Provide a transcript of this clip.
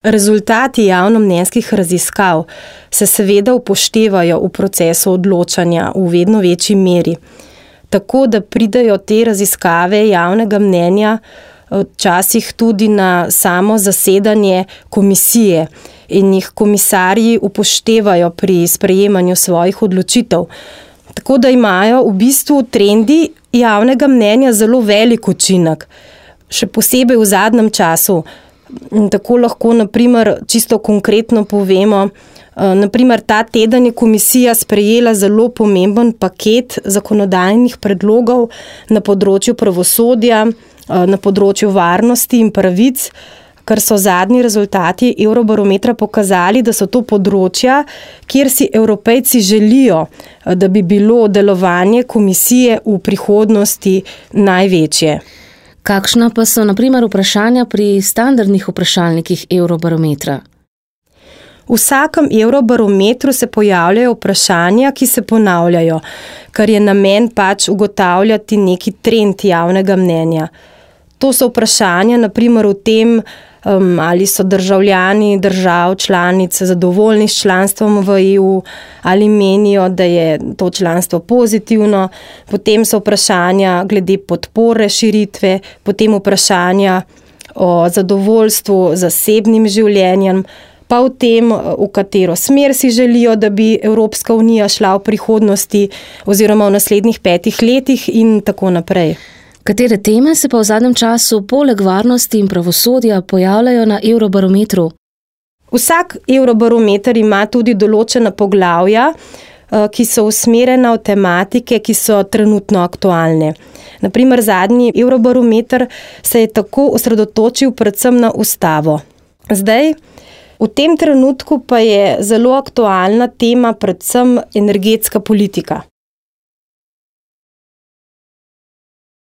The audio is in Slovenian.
Rezultati javnomnenjskih raziskav se seveda upoštevajo v procesu odločanja v vedno večji meri, tako da pridejo te raziskave javnega mnenja včasih tudi na samo zasedanje komisije in jih komisarji upoštevajo pri sprejemanju svojih odločitev. Tako da imajo v bistvu trendi javnega mnenja zelo velik učinek, še posebej v zadnjem času. Tako lahko, naprimer, čisto konkretno povemo, naprimer, ta teden je komisija sprejela zelo pomemben paket zakonodajnih predlogov na področju pravosodja, na področju varnosti in pravic, ker so zadnji rezultati Eurobarometra pokazali, da so to področja, kjer si Evropejci želijo, da bi bilo delovanje komisije v prihodnosti največje. Kakšna pa so, na primer, vprašanja pri standardnih vprašalnikih Eurobarometra? V vsakem Eurobarometru se pojavljajo vprašanja, ki se ponavljajo, kar je namen ugotavljati neki trend javnega mnenja. To so vprašanja, na primer, o tem, ali so državljani držav članic zadovoljni s članstvom v EU, ali menijo, da je to članstvo pozitivno, potem so vprašanja glede podpore širitve, potem vprašanja o zadovoljstvu z zasebnim življenjem, pa o tem, v katero smer si želijo, da bi Evropska unija šla v prihodnosti oziroma v naslednjih 5 letih in tako naprej. Katere teme se pa v zadnjem času poleg varnosti in pravosodja pojavljajo na Eurobarometru? Vsak Eurobarometer ima tudi določena poglavja, ki so usmerjena v tematike, ki so trenutno aktualne. Naprimer, zadnji Eurobarometer se je tako osredotočil predvsem na ustavo. Zdaj, v tem trenutku pa je zelo aktualna tema predvsem energetska politika.